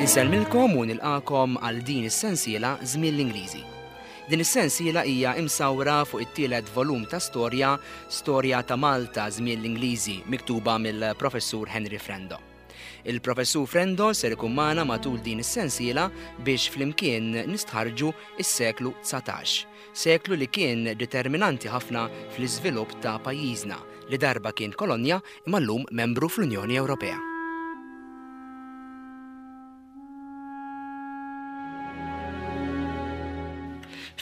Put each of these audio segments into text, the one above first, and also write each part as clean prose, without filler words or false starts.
Insellmilkom u nilqakom għal din is-sensiela Żmien l-Ingliżi. Din is-sensiela hija imsawra fuq it-tielet volum ta' storja Storja ta' Malta Żmien l-Ingliżi miktuba mill-Professur Henry Frendo. Il-Professur Frendo ser ikun magħna matul din is-sensiela biex flimkien nistħarrġu s-seklu 19, seklu li kien determinanti ħafna fl-iżvilupp ta' pajjiżna li darba kien kolonja imma llum membru fl-Unjoni Ewropea.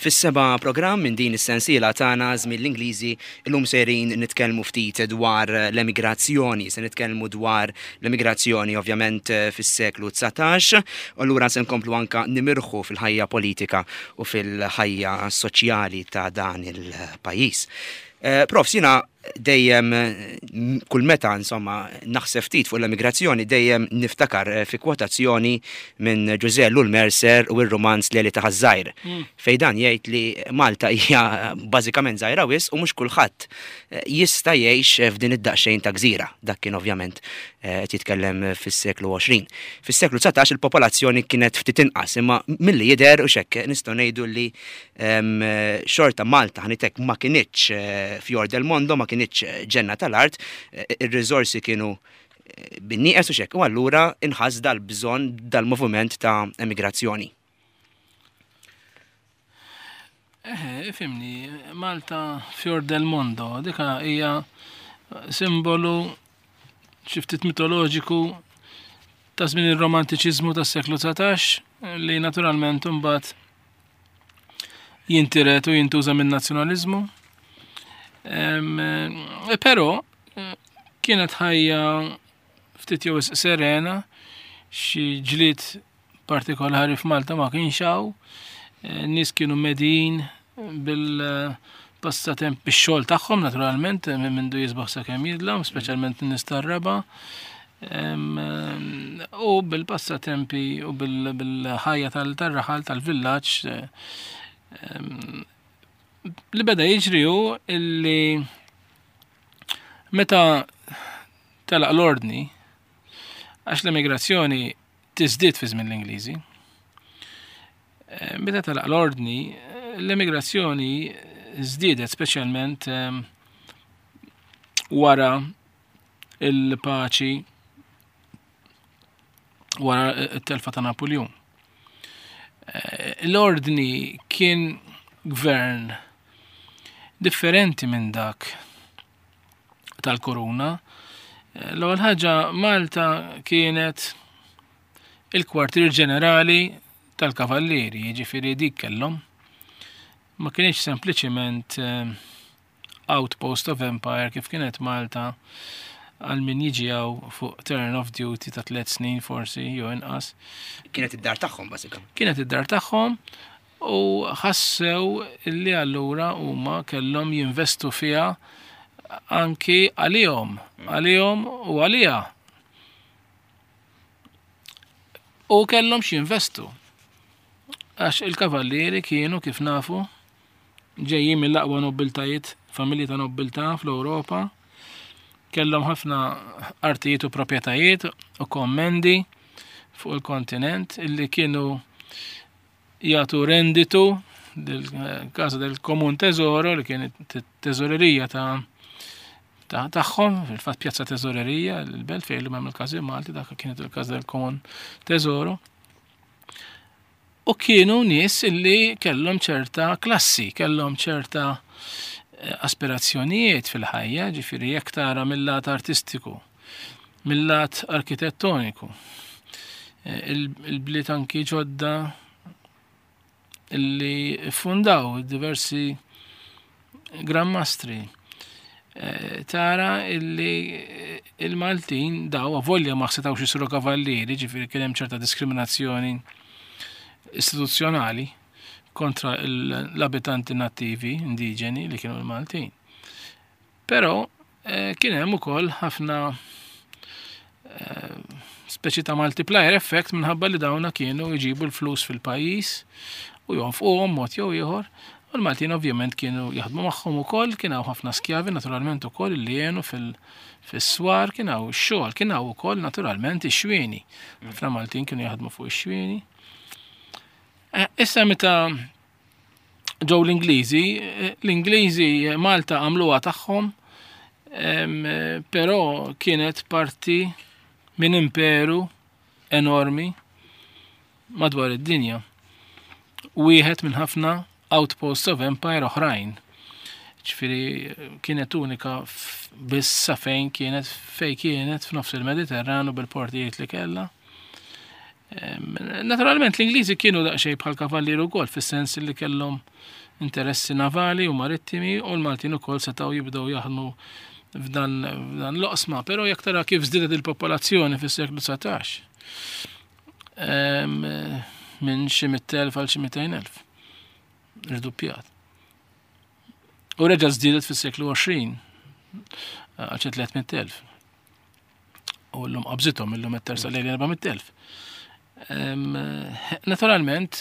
Fis-seba' programm minn din is-sensiela tagħna Żmien l-Ingliżi, illum sejrin nitkellmu ftit dwar l-emigrazzjoni, se nitkellmu dwar l-emigrazzjoni ovvjament fis-seklu 19, u allura se nkomplu anka nimirħu fil-ħajja politika u fil-ħajja soċjali ta' dan il-pajjiż. Eh, Profs, jiena dejjem kull meta insomma naħseb ftit fuq l-emigrazzjoni dejjem niftakar eh, fi kwotazzjoni minn Ġużè Lul Mercer u r-rumanz Leli ta' Ħaż-Żgħir mm. fejn dan jgħid li Malta hija bażikament żgħira wisq u mhux kulħadd eh, jista' jgħix f'din id-daqsxejn ta' gżira. Dak kien ovvjament eh, qed jitkellem fis-seklu 20. Fis-seklu 19 il-popolazzjoni kienet ftit inqas imma milli jidher u xekk nistgħu ngħidu li Xorta Malta ħanitek ma kinitx eh, fjor del mondo, ma kinitx eh, ġenna tal-art, eh, ir-riżorsi kienu bin-nieqes u xek, u allura inħass dal-bżonn dal-moviment ta' emigrazzjoni. Eħe, ifimni, Malta fjor del mondo, dika hija simbolu xi ftit mitoloġiku ta' żmien ir-romantiċiżmu tas-seklu 19 li naturalment imbagħad jintiret u jintuża minn nazzjonaliżmu. Eh, però eh, kienet ħajja ftit jew serena, xi ġlied partikolari f'Malta ma kienx hawn, eh, nies kienu medin bil-passatemp bix-xogħol tagħhom naturalment minn mindu jisbaħ sakemm jidlam, speċjalment in-nies tar-raba'. U bil-passatempi u bil-ħajja tal-raħal tal-villaġġ li beda jiġri hu illi meta telaq l-ordni għax l-emigrazzjoni tiżdied fi żmien l-Ingliżi. Eh, meta telaq l-ordni, l-emigrazzjoni żdiedet speċjalment wara il-paċi wara t-telfa ta' Napoleon. Eh, l-ordni kien gvern differenti minn dak tal-koruna. Eh, l-ewwel ħaġa Malta kienet il-kwartier ġenerali tal-kavallieri, jiġifieri dik kellhom. Ma kienx sempliċiment eh, outpost of empire kif kienet Malta għal min jiġi hawn fuq turn of duty ta' tliet snin forsi jew inqas. Kienet id-dar tagħhom bażikament. Kienet id-dar tagħhom u ħassew li allura huma kellhom jinvestu fiha anki għalihom, għalihom u għaliha. U kellhom x'jinvestu. Għax il-kavallieri kienu kif nafu ġejjin mill-aqwa nobbiltajiet, familji ta' nobbiltà fl-Ewropa, kellhom ħafna artijiet u proprjetajiet u kommendi fuq il-kontinent illi kienu jagħtu renditu del-Casa del Komun Tesoro li kienet teżorerija ta' tagħhom, fil-fatt pjazza teżorerija, l-belt fejn illum hemm il-Każin Malti, dak kienet il-Casa del Komun Tesoro. U kienu nies illi kellhom ċerta klassi, kellhom ċerta eh, aspirazzjonijiet fil-ħajja, ġifieri jekk tara mill-lat artistiku, mill-lat arkitettoniku, eh, il-bliet anki ġodda illi fundaw diversi Gran Mastri. Eh, tara illi eh, il-Maltin daw avolja ma setawx isiru kavallieri, ġifieri kien hemm ċerta diskriminazzjoni istituzzjonali kontra l-abitanti nattivi indiġeni li kienu l-Maltin. Però eh, kien hemm ukoll ħafna eh, speċi ta' multiplier effect minħabba li dawna kienu jġibu l-flus fil-pajjiż u jonfquhom mod jew ieħor. U l-Maltin ovvjament kienu jaħdmu magħhom ukoll, kien hawn ħafna skjavi naturalment ukoll li jenu fis-swar, kien hawn ix-xogħol, kien hawn ukoll naturalment ix-xwieni. Ħafna Maltin kienu jaħdmu fuq ix-xwieni. Eh, issa meta ġew l-Ingliżi, eh, l-Ingliżi Malta għamluha tagħhom, però kienet parti minn imperu enormi madwar id-dinja. Wieħed minn ħafna outposts of empire oħrajn. Ġifieri kienet unika biss sa fejn kienet fej kienet f'nofs il-Mediterran u bil-portijiet li kellha. Naturalment l-Ingliżi kienu daqsxejn bħal kavallieri wkoll fis-sens li kellhom interessi navali u marittimi u l-Maltin ukoll setgħu jibdew jaħdmu f'dan l-oqsma, però jekk tara kif żdiedet il-popolazzjoni fis-seklu 19 minn xi 100,000 għal xi 200,000. Irduppjat. U reġa' żdiedet fis-seklu 20 għal xi 300,000. U llum qabżithom illum qed tersaq lejn 400,000. Naturalment,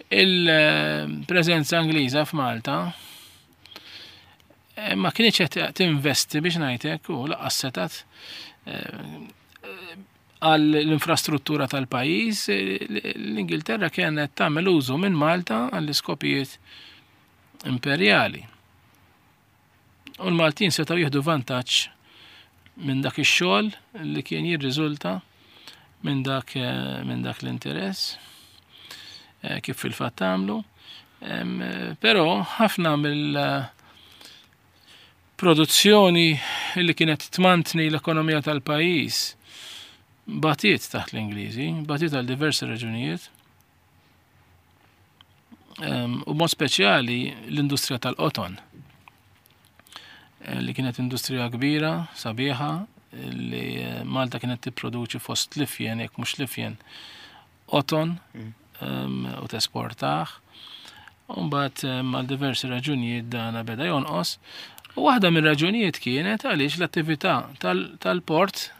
il-preżenza Ingliża f'Malta ma kienx qed tinvesti biex ngħidlek u laqqas setat għal l-infrastruttura tal-pajjiż, l-Ingilterra kienet tagħmel użu minn Malta għall-iskopijiet imperjali. U l-Maltin setgħu jieħdu vantaġġ minn dak ix-xogħol li kien jirriżulta minn dak eh, minn dak l-interess eh, kif fil-fatt għamlu. Però ħafna mill produzzjoni li kienet tmantni l-ekonomija tal-pajjiż batiet taħt l-Ingliżi, batiet għal diversi raġunijiet. U mod speċjali l-industrija tal-qoton eh, li kienet industrija kbira, sabiħa, li eh, Malta kienet tipproduċi fost lifjen, jekk mhux lifjen, qoton mm. u tesportaħ. Umbat għal diversi raġunijiet dana beda jonqos. U waħda minn raġunijiet kienet għaliex l-attività tal-port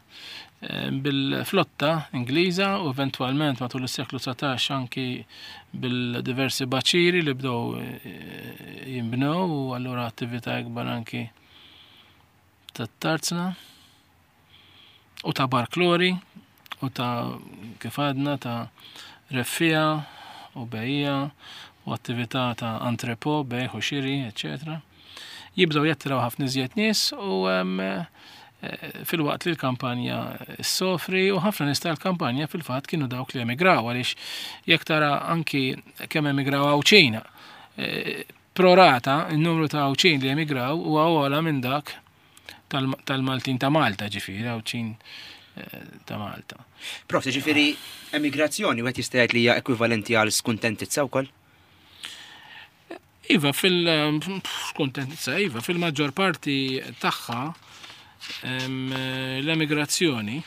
bil-flotta Ingliża u eventwalment matul is-seklu 19 anki bil-diversi baċiri li bdew eh, jinbnew u allura attività ikbar anki tat-tarzna u ta' barklori u ta' kif għadna ta' reffija u bejja u attività ta' antrepo, bejħ u xiri, eccetera. Jibdew jattiraw ħafna iżjed nies u eh, filwaqt li l-kampanja ssofri u ħafna nies tal-kampanja fil-fatt kienu dawk li emigraw għaliex jekk tara anki kemm emigraw Għawdxin. Eh, prorata n-numru ta' Għawdxin li emigraw huwa ogħla minn dak tal-Maltin ta' Malta ġifieri Għawdxin eh, ta' Malta. Prof, ġifieri emigrazzjoni wieħed jista' jgħid li hija ekwivalenti għal skuntentizza wkoll? Iva, fil-skuntentizza, iva, fil-maġġor parti tagħha l-emigrazzjoni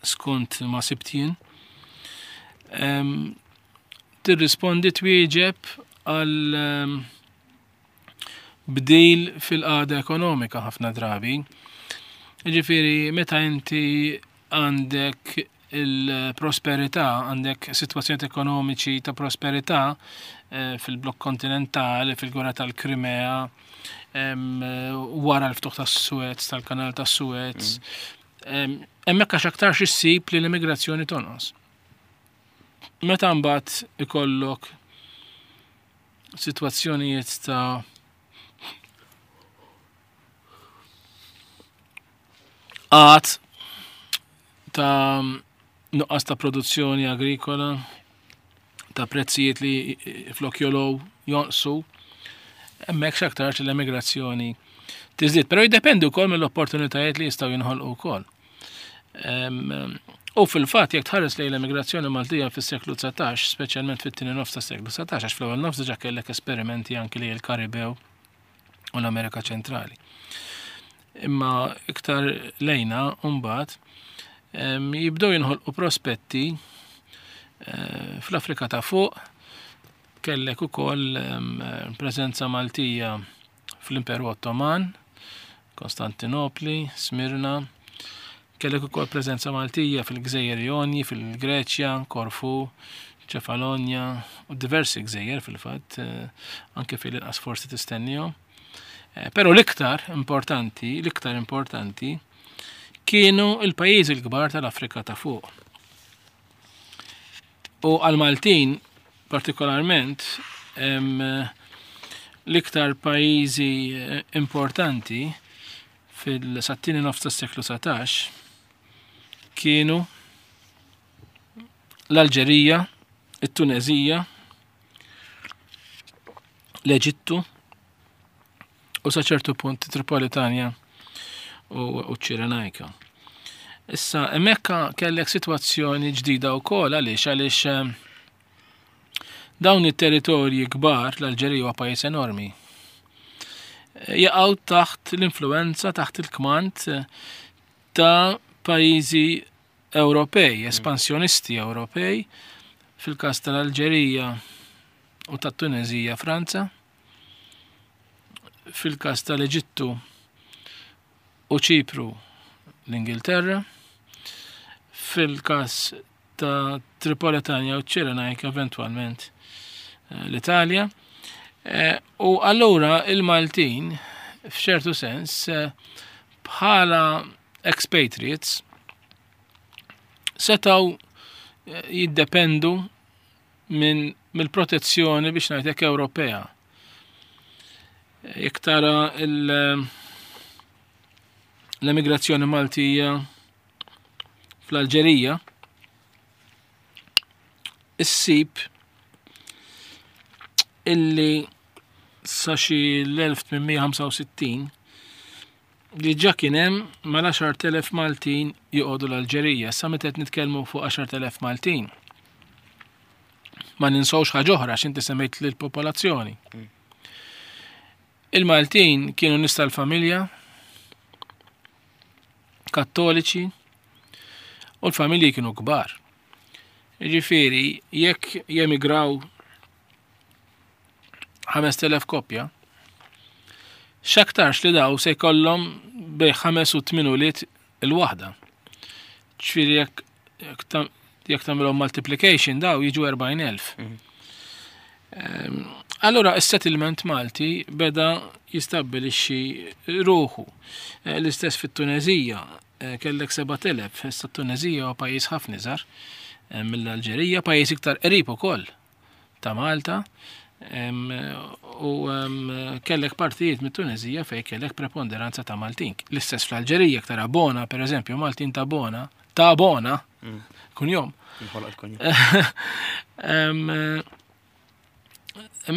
skont ma sibt jien tirrispondi twieġeb għal bdil fil-qagħda ekonomika ħafna drabi. Ġifieri meta inti għandek il-prosperità, għandek sitwazzjonijiet ekonomiċi ta' prosperità eh, fil-blokk kontinentali, fil-gwerra tal-Krimea, wara l-ftuħ tas-Suez, tal-kanal tas-Suez. Mm. Hemmhekk għax aktarx issib li l-immigrazzjoni tonqos. Meta mbagħad ikollok sitwazzjonijiet ta' Qgħad ta' nuqqas ta' produzzjoni agrikola, ta' prezzijiet li flok jolow jonqsu, hemmhekk x'aktarx l-emigrazzjoni tiżdied. Però jiddependi wkoll mill-opportunitajiet li jistgħu jinħolqu wkoll. U fil-fatt jekk tħares lejn l-emigrazzjoni Maltija fis-seklu 19, speċjalment fit-tieni nofs tas-seklu 19, għax fl-ewwel nofs diġà kellek esperimenti anki lejn il-Karibew u l-Amerika Ċentrali. Imma iktar lejna mbagħad jibdew jinħolqu prospetti eh, fl-Afrika ta' fuq kellek ukoll preżenza Maltija fl-Imperu Ottoman, Konstantinopli, Smirna, kellek ukoll preżenza Maltija fil-Gżejjer Jonji, fil-Greċja, Korfu, Ċefalonja u diversi gżejjer fil-fatt, eh, anke fil-inqas forsi tistennihom. Eh, però l-iktar importanti, l-iktar importanti kienu il-pajjiżi l-kbar tal-Afrika ta' fuq. U għal-Maltin partikolarment l-iktar pajjiżi eh, importanti fil-sattini nofs tas-seklu 19 kienu l-Alġerija, it-Tunezija, l-Eġittu u sa ċertu punt Tripolitanja u ċ-Ċirenajka. Issa, hemmhekk kellek sitwazzjoni ġdida wkoll għaliex għaliex eh, dawn it-territorji kbar, l-Alġerija huwa pajjiż enormi, eh, jaqgħu taħt l-influenza, taħt il-kmand eh, ta' pajjiżi Ewropej, espansjonisti Ewropej, fil-każ tal-Alġerija u tat-Tunezija Franza, fil-każ tal-Eġittu u Ċipru l-Ingilterra, fil-każ ta' Tripolitania u Ċirenajka eventwalment eh, l-Italja. Eh, u allura il-Maltin f'ċertu sens eh, bħala expatriates setaw jiddependu minn mill-protezzjoni biex ngħidlek Ewropea. Jekk tara l-emigrazzjoni Maltija fl-Alġerija, issib illi sa xi l-1865 Diġà kien hemm mal-10,000 Maltin joqogħdu l-Alġerija. Issa meta qed nitkellmu fuq 10,000 Maltin. Ma ninsewx ħaġa oħra għax inti semmejt lill-popolazzjoni. Il-Maltin kienu nies tal-familja, kattoliċi, u l-familji kienu kbar. Ġifieri, jekk jemigraw 5000 koppja, x'aktarx li daw se jkollhom bej 5 u 8 ulied il-waħda. Ġifieri jekk jekk tagħmilhom multiplication daw jiġu 40,000. Mhm. Ehm, allura is-settlement Malti beda jistabbilixxi ruħu. Eh, l-istess fit-Tunezija eh, kellek 7,000, issa t-Tunezija huwa pajjiż ħafna iżgħar eh, mill-Alġerija, pajjiż iktar qrib ukoll ta' Malta u kellek partijiet mit-Tunezija fej kellek preponderanza ta' Maltin. L-istess fl-Alġerija tara Bona, per eżempju, Maltin ta' Bona, ta' Bona, mm. kunjom.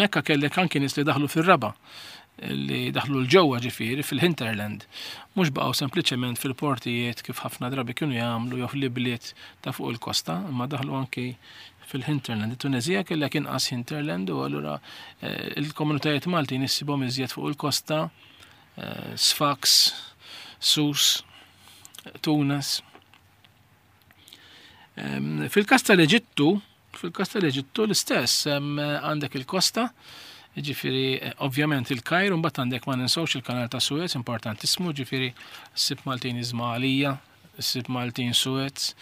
Mekka kellek anki nies li daħlu fir-raba li daħlu l-ġewwa ġifieri fil-hinterland. Mhux baqgħu sempliċement fil-portijiet kif ħafna drabi kienu jagħmlu jew fl-ibliet ta' fuq il-kosta, imma daħlu anki fil-hinterland. It-Tunezija kellek inqas hinterland u allura eh, il-komunitajiet Maltin issibhom iżjed fuq il-kosta, eh, Sfax, Sus, Tunis. Ehm, fil-kas tal-Eġittu, fil-kas tal-Eġittu l-istess, ehm, għandek il-kosta, ġifiri, eh, ovvjament il-Kajr, mbagħad għandek ma ninsewx il-kanal ta' Suez, importantissimu, ġifiri sib Maltin Izmalija, sib Maltin Suez,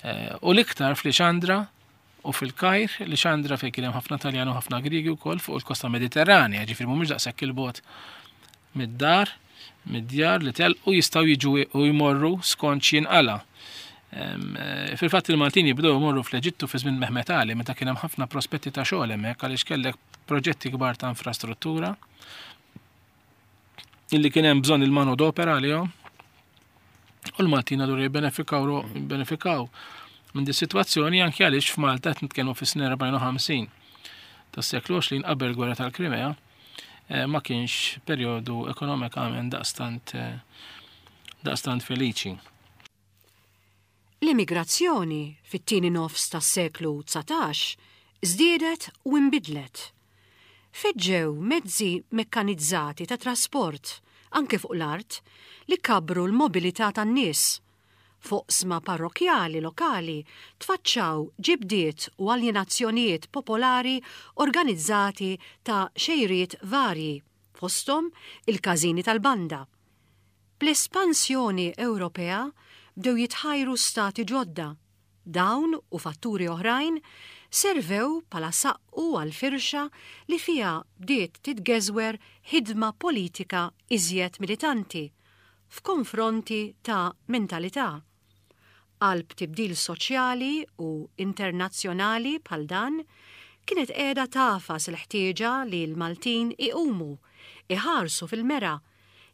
eh, u l-iktar fl-Ixandra u fil-Kajr, l-Ixandra fejn kien hemm ħafna Taljan u ħafna Griegi wkoll fuq il-kosta Mediterranja, ġifiri mhumiex daqshekk il-bot mid-dar, mid-djar li telqu jistgħu jiġu u jmorru skont x'jinqala'. Eh, fil-fatt il-Maltin jibdew imorru fl-Eġittu fi żmien Mehmet Ali meta kien hemm ħafna prospetti ta' xogħol hemmhekk għaliex kellek proġetti kbar ta' infrastruttura illi kien hemm bżonn il-mano d'opera għalihom. U l-Maltin allura jibbenefikaw jibbenefikaw minn di sitwazzjoni anke għaliex f'Malta qed nitkellmu fis-snin 54 tas-seklu 20 qabel gwerra tal-Krimea Eh, ma kienx perjodu ekonomikament daqstant eh, daqstant feliċi. L-immigrazzjoni fit-tieni nofs tas-seklu 19 żdiedet u inbidlet. Feġġew mezzi mekkanizzati ta' trasport, anke fuq l-art, li kabbru l-mobilità tan-nies F'oqsma parrokkjali lokali tfaċċaw ġibdiet u aljenazzjonijiet popolari organizzati ta' xejriet varji, fosthom il-każini tal-banda. Bl-espansjoni Ewropea bdew jitħajru stati ġodda. Dawn u fatturi oħrajn servew bħala saqqu għall-firxa li fiha bdiet titgeżwer ħidma politika iżjed militanti f'konfronti ta' mentalità Qalb tibdil soċjali u internazzjonali bħal dan, kienet qiegħda tagħfas il-ħtieġa li l-Maltin iqumu, iħarsu fil-mera,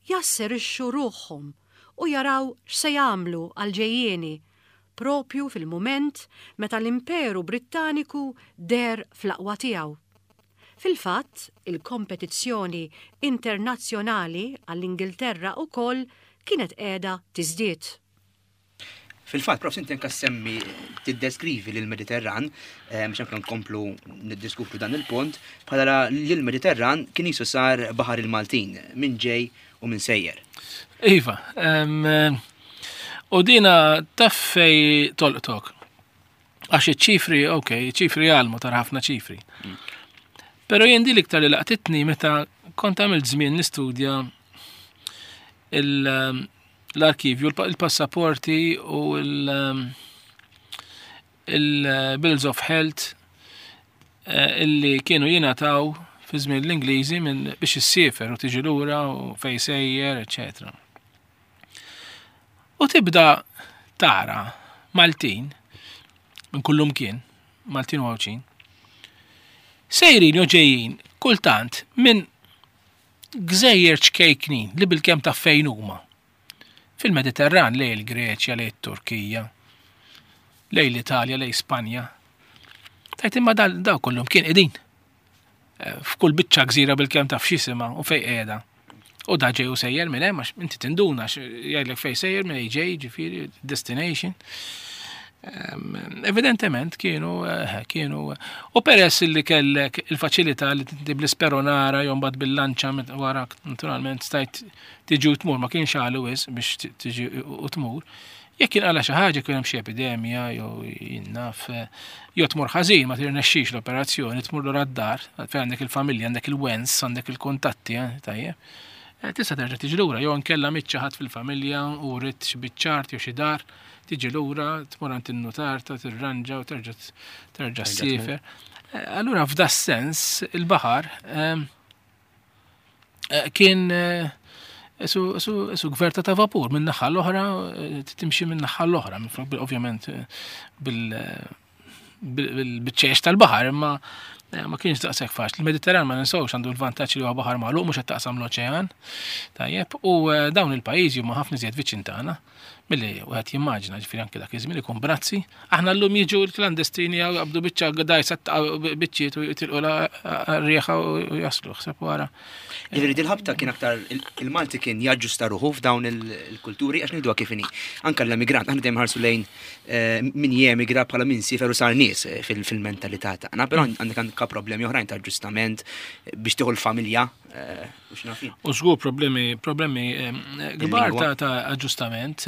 jasserixxu ruħhom u jaraw x'se jagħmlu għall-ġejjieni, proprju fil-mument meta l-Imperu Brittaniku deher fl-aqwa tiegħu. Fil-fatt, il-kompetizzjoni internazzjonali għall-Ingilterra wkoll kienet qiegħda tiżdied. Fil-fatt, Prof, inti anka semmi tiddeskrivi lil Mediterran, eh, biex anka nkomplu niddiskutu dan il-punt, bħala li l-Mediterran kien jisu sar baħar il-Maltin, minn ġej u minn sejjer. Iva, u dina taf fej tolqtok. Għax iċ-ċifri, ok, ċifri għalmu tara ħafna ċifri. Pero jien di l-iktar li laqtitni meta kont għamilt żmien nistudja l-arkivju, il-passaporti u il-bills of health eh, illi kienu jingħataw fi żmien l-Ingliżi minn biex issiefer u tiġi lura u fej sejjer, eċetera. U tibda tara Maltin minn kullum kien, Maltin u Għawdxin, sejrin jew ġejjin kultant minn gżejjer ċkejknin li bilkemm taf fejn huma. Fil-Mediterran lejn il-Greċja, lejn it-Turkija, lejn l-Italja, lejn Spanja. Tajt imma daw kollhom kien qegħdin. Eh, f'kull biċċa gżira bilkemm taf x'isimha u fejn qiegħda. U da ġej u sejjer minn hemm għax inti tinduna jgħidlek fejn sejjer minn ġej, ġifieri destination. Ehm, evidentement kienu eh, kienu u peress li kellek il-faċilità li tinti bl-isperonara jew mbagħad bil-lanċa wara naturalment stajt tiġi u tmur ma kienx għalu wis biex tiġi u tmur. Jekk kien qala xi ħaġa kien hemm xi epidemija jew jien naf eh, jew tmur ħażin ma tirnexxix l-operazzjoni, tmur lura d-dar fejn għandek il-familja, għandek il-wens, għandek il-kuntatti, eh, tajjeb. Eh, tista' terġa' tiġi lura jew inkella miet xi ħadd fil-familja u ridt xi biċċart jew xi dar, tiġi lura, tmur għand in-nutar ta' tirranġa u terġa' terġa' ssiefer. Allura f'da sens il-baħar Eh, kien eh, su gverta ta' vapur minn naħa l-oħra, eh, timxi minn naħa l-oħra, ovvjament bil-ċeċ tal-baħar, imma ma kienx daqshekk faċli. Il-Mediterran ma ninsewx għandu l-vantaġġ li huwa baħar magħluq mhux qed taqsam l-oċean. Tajjeb, u dawn il-pajjiżi huma ħafna iżjed viċin tagħna. Milli wieħed jimmaġina, ġifieri anke dak iż-żmien ikun brazzi. Aħna llum jiġu l-klandestini jew jaqbdu biċċa dajsa biċċiet u jitilqu r-rieħa u jaslu ħseb wara. Jiġifieri dil-ħabta kien aktar il-Malti kien jaġġusta ruħu f'dawn il-kulturi għax ngħiduha kif inhi. Anke l-emigrant aħna dejjem ħarsu lejn eh, min jemigra bħala min siefer u sar nies eh, fil-mentalità tagħna, però għandek anke problemi oħrajn ta' aġġustament biex tieħu l-familja eh, U żgur problemi, problemi kbar ta', ta aġġustament,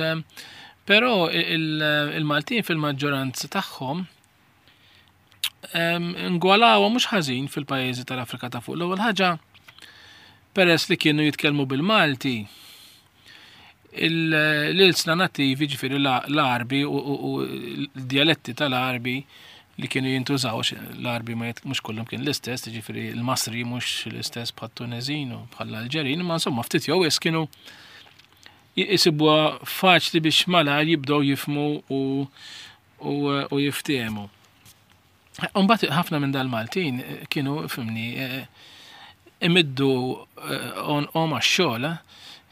però il-Maltin fil-maġġoranza tagħhom ngwalawa mhux ħażin fil-pajjiżi tal-Afrika ta' fuq. L-ewwel ħaġa peress li kienu jitkellmu bil-Malti, l-ilsna nattivi, ġifieri l-Għarbi u l-djaletti tal-Għarbi li kienu jintużaw, l-Għarbi ma mhux kollhom kien l-istess, ġifieri l-Masri mhux l-istess bħat-Tuneżin u bħall-Alġerin, imma insomma ftit jew wis kienu jisibuha faċli biex malajr jibdew jifmu u u jiftehmu. Umbat ħafna minn dal-Maltin eh, kienu fimni eh, imiddu eh, on għax-xogħol,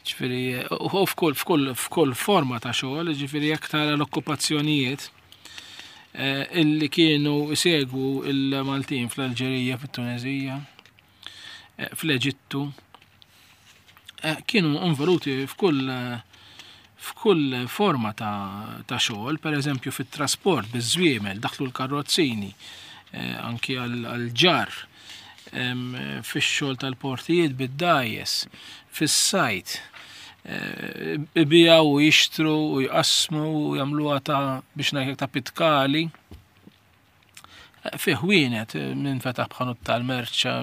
ġifieri u f'kull f'kull f'kull forma ta' xogħol, ġifieri jekk tara l-okkupazzjonijiet illi kienu jsegwu il-Maltin fl-Alġerija, fit-Tunezija, fl-Eġittu, Eh, kienu involuti f'kull f'kull forma ta', ta xogħol, per eżempju fit-trasport biż-żwiemel, daħlu l-karrozzini, eh, anki għal-ġar, fix-xogħol tal-portijiet bid-dajes, fis-sajt, eh, ibijaw u jixtru u jqassmu u jagħmluha ta' biex ngħidlek ta' pitkali. Fi ħwienet, min fetaħ b'ħanut tal-merċa,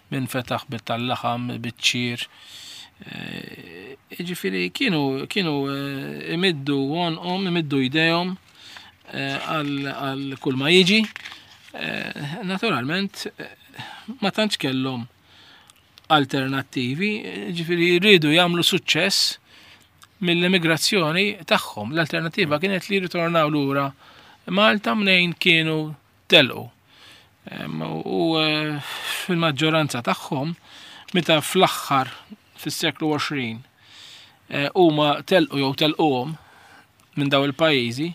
min fetaħ bit-tal-laħam, biċ-ċir. Eh, ġifieri kienu kienu eh, imiddu għonqhom, imiddu jdejhom eh, għal kull ma jiġi. Eh, naturalment, eh, ma tantx kellhom alternattivi, ġifieri jridu jagħmlu suċċess mill-immigrazzjoni tagħhom. L-alternattiva kienet li jirritornaw lura Malta mnejn kienu telqu. U eh, fil-maġġoranza tagħhom, meta fl-aħħar fis-seklu 20 eh, huma telqu jew telquhom minn daw il-pajjiżi,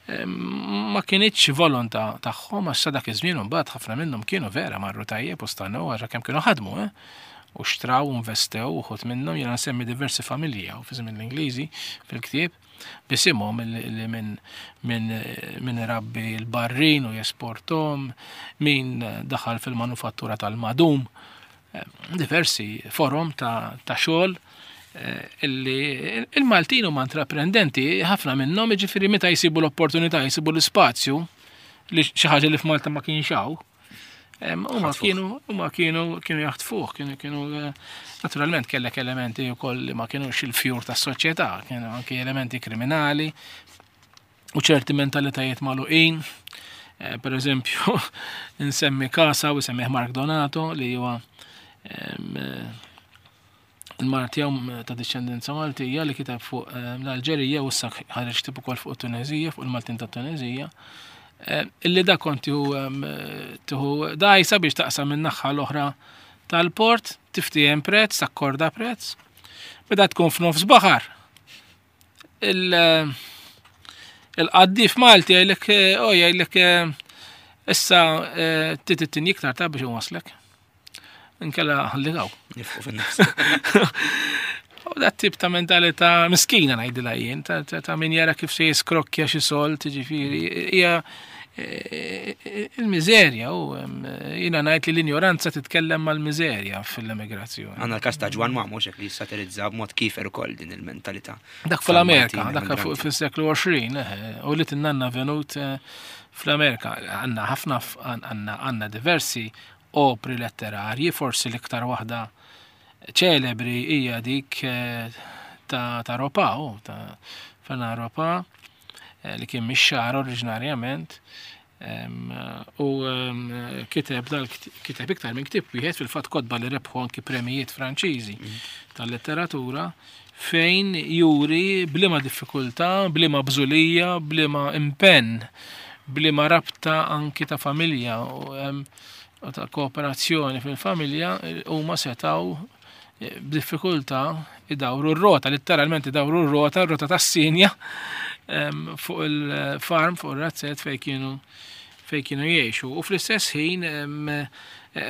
ma kinitx volontà tagħhom għax sa dak iż-żmien imbagħad ħafna minnhom kienu vera marru tajjeb u stannew għax kemm kienu ħadmu, eh? U xtraw u investew uħud minnhom jiena nsemmi diversi familji hawn fi żmien l-Ingliżi fil-ktieb bisimhom li minn min, min irabbi l-barrin u jesportom, min daħal fil-manufattura tal-madum, diversi forom ta' xogħol eh, illi il-Maltin huma intraprendenti ħafna minnhom jiġifieri meta jsibu l-opportunità, jsibu l-ispazju li xi ħaġa li f'Malta ma kienx hawn. Huma kienu huma kienu kienu jaħtfuh, kienu kienu eh, naturalment kellek elementi wkoll li ma kienux il-fjur tas-soċjetà, kienu anki elementi kriminali, u ċerti mentalitajiet magħluqin. Eh, per eżempju, nsemmi Kasa u semmih Mark Donato li huwa eh, il-mara tiegħu ta' discendenza Maltija li kiteb fuq l-Alġerija u issa ħareġ ktieb ukoll fuq Tunezija, fuq il-Maltin ta' Tunezija. Eh, illi da kont tieħu dajsa biex taqsam minn naħa l-oħra tal-port, tiftiehem prezz, takkorda prezz. Meta tkun f'nofs baħar, il-qaddif Malti jgħidlek, oh jgħidlek issa titittin iktar ta' biex nwaslek. Inkella ħalli għaw. Nifqu fin-nofs. U dat tip ta' mentalità miskina ngħidilha jien, ta' min jara kif se jiskrokkja xi solt, ġifieri, hija il-miżerja u jiena ngħid li l-injoranza titkellem mal-miżerja fil-emigrazzjoni. Għandna l-każ ta' Ġwan Mamo xek li satirizza b'mod kifer ukoll din il-mentalità. Dak fl-Amerika, dak fis-seklu 20, u li tinnanna venut eh, fl-Amerika. Għandna ħafna għandna diversi opri letterarji, forsi l-iktar waħda ċelebri hija dik eh, ta' Ropa, ta' Fernand Ropa, Eh, li kien mix-xagħar oriġinarjament u kiteb dal kiteb iktar minn ktieb wieħed fil-fatt kotba li rebħu anki premijiet Franċiżi mm. tal-letteratura fejn juri bliema diffikultà, bliema bżulija, bliema impenn, bliema rabta anki ta' familja u ta' kooperazzjoni fil-familja huma setaw b'diffikultà idawru r-rota, litteralment idawru r-rota, r-rota tas-sinja fuq il-farm, fuq ir-razzett fejn kienu fejn kienu jgħixu. U fl-istess ħin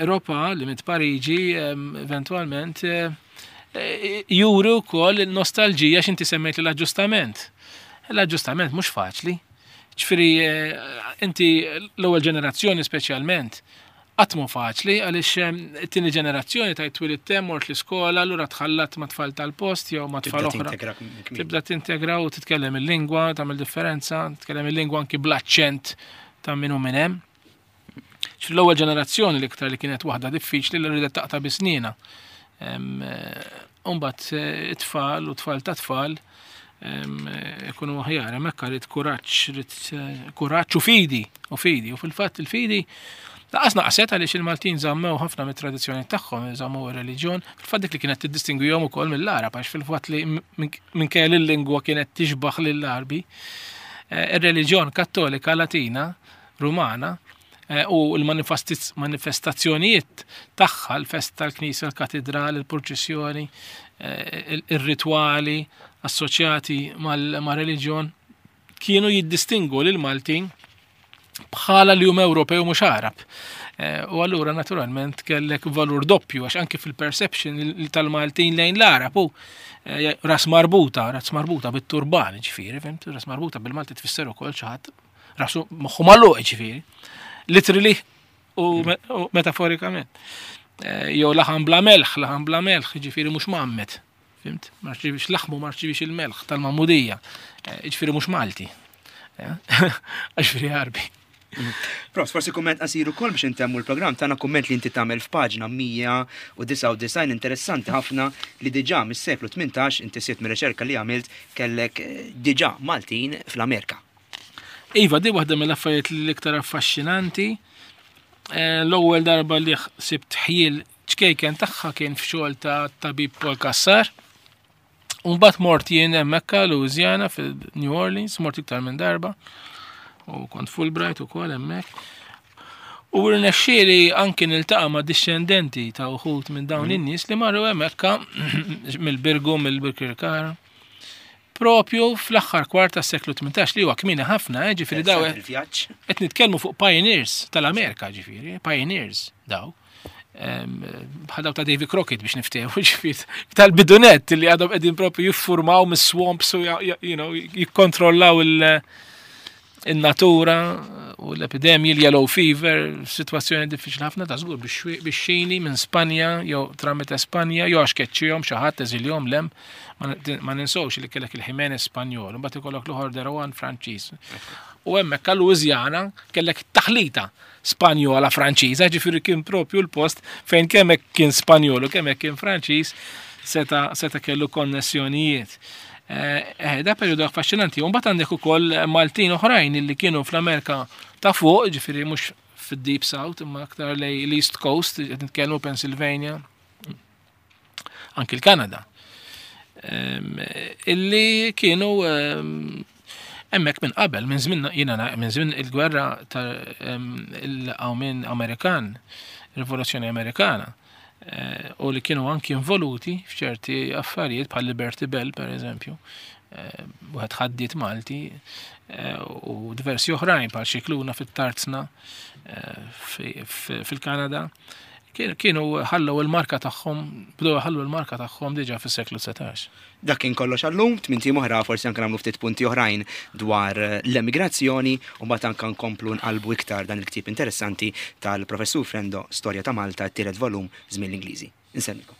Ropa li mit Pariġi eventwalment eh, juri wkoll il-nostalġija x'inti semmejt l-aġġustament. L-aġġustament mhux faċli. Ġifieri eh, inti l-ewwel ġenerazzjoni speċjalment Qatt mhu faċli għaliex it-tieni ġenerazzjoni tgħid twilidt hemm, mort l-iskola, allura tħallatt ma' tfal tal-post jew ma' tfal oħra. Tibda tintegra u titkellem il-lingwa, tagħmel differenza, titkellem il-lingwa anki bl-aċċent ta' min hu minn hemm. Fl-ewwel ġenerazzjoni l-iktar li kienet waħda diffiċli li ridet taqta' bi sniena. Umbat eh, it-tfal u tfal ta' tfal ikunu aħjar, hemmhekk rrid kuraġġ, rrid eh, kuraġġ u fidi, u fidi, u fil-fatt il-fidi Laqas naqset għaliex il-Maltin żammew ħafna mit-tradizzjoni tagħhom, żammew ir-reliġjon, fil-fatt dik li kienet tiddistingwihom ukoll mill-Arab għax fil-fatt li minkejja li l-lingwa kienet tixbaħ lill-Arbi, eh, ir-reliġjon Kattolika Latina Rumana eh, u l-manifestazzjonijiet tagħha, l-festa tal-Knisja, l-katedral, il-purċissjoni, eh, ir-ritwali assoċjati mal-reliġjon kienu jiddistingu lil Maltin bħala li huma Ewropew mhux Arab. Eh, u allura naturalment kellek valur doppju għax anki fil-perception tal-Maltin lejn l-Arab u ras marbuta, ras marbuta bit-turban, ġifieri, fimt, ras marbuta bil-Malti tfisser ukoll xi ħadd rasu moħħu magħluq ġifieri. Literally u metaforikament. Eh, jew laħam bla melħ, laħam bla melħ, ġifieri mhux mammet. Fimt? Ma rċivix laħmu, ma rċivix il-melħ tal-mamudija. Eh, ġifieri mhux Malti. Eh, ġifieri Għarbi. Prof, forsi kumment qasir ukoll biex intemmu l-programm tagħna kumment li inti tagħmel f'paġna 199 interessanti ħafna li diġà mis-seklu 18 inti sibt mir-riċerka li għamilt kellek diġà Maltin fl-Amerika. Iva, di waħda mill-affarijiet l-iktar affaxxinanti. Eh, l-ewwel darba li sibt ħjiel ċkejken tagħha kien f'xogħol ta' tabib Paul Kassar. Umbagħad mort jien hemmhekk Louisiana fil-New Orleans, mort iktar minn darba. U kont Fulbright ukoll hemmhekk. U rnexxieli anki niltaqa' ma' dixxendenti ta' uħud minn dawn mm. in-nies li marru hemmhekk mill-Birgu, mill-Birkirkara. Propju fl-aħħar kwart tas-seklu 18 li huwa kmieni ħafna, eh, ġifieri daw qed nitkellmu fuq pioneers tal-Amerika, ġifieri, pioneers daw. Bħal daw ta' Davy Crockett biex niftehmu, ġifieri tal-bidunet li għadhom qegħdin propju jiffurmaw mis-swamps u jikkontrollaw il- in-natura u l-epidemji, l-yellow fever, situazzjoni diffiċli ħafna ta' żgur bix-xini minn Spanja jew tramite Spanja jew għax keċċihom xi ħadd eżiljhom lem ma ninsewx li kellek il-Jimenez Spanjol, imbagħad ikollok l-oħor Derowan Franċiż. U hemmhekk għal Louisiana kellek taħlita Spanjola Franċiża, ġifieri kien propju l-post fejn kemm hekk kien Spanjol u kemm hekk kien Franċiż seta, seta kellu konnessjonijiet. Eh, eh, da periodu affaxxinanti. U mbagħad għandek ukoll Maltin oħrajn li kienu fl-Amerika ta' fuq, ġifieri mhux fid-Deep South, imma aktar lej l-East Coast, qed nitkellmu Pennsylvania, anki l-Kanada. Ehm, illi kienu ehm, hemmhekk minn qabel, minn żmien jiena minn żmien il-gwerra ta' ehm, il-qawmien Amerikan, Rivoluzzjoni Amerikana, eh, u li kienu anki involuti f'ċerti affarijiet bħal Liberty Bell per eżempju, eh, wieħed ħaddiet Malti eh, u diversi oħrajn bħal Xikluna fit-Tarzna fil-Kanada. Kienu ħallew il-marka tagħhom, bdew ħallu l-marka tagħhom diġà fis-seklu 19. Dak kien kollox għallum, tminti oħra forsi anke nagħmlu ftit punti oħrajn dwar l-emigrazzjoni u mbagħad anke nkomplu nqalbu iktar dan il-ktieb interessanti tal-Professur Frendo, Storja ta' Malta, t-tielet volum, Żmien l-Ingliżi. Inselmikom.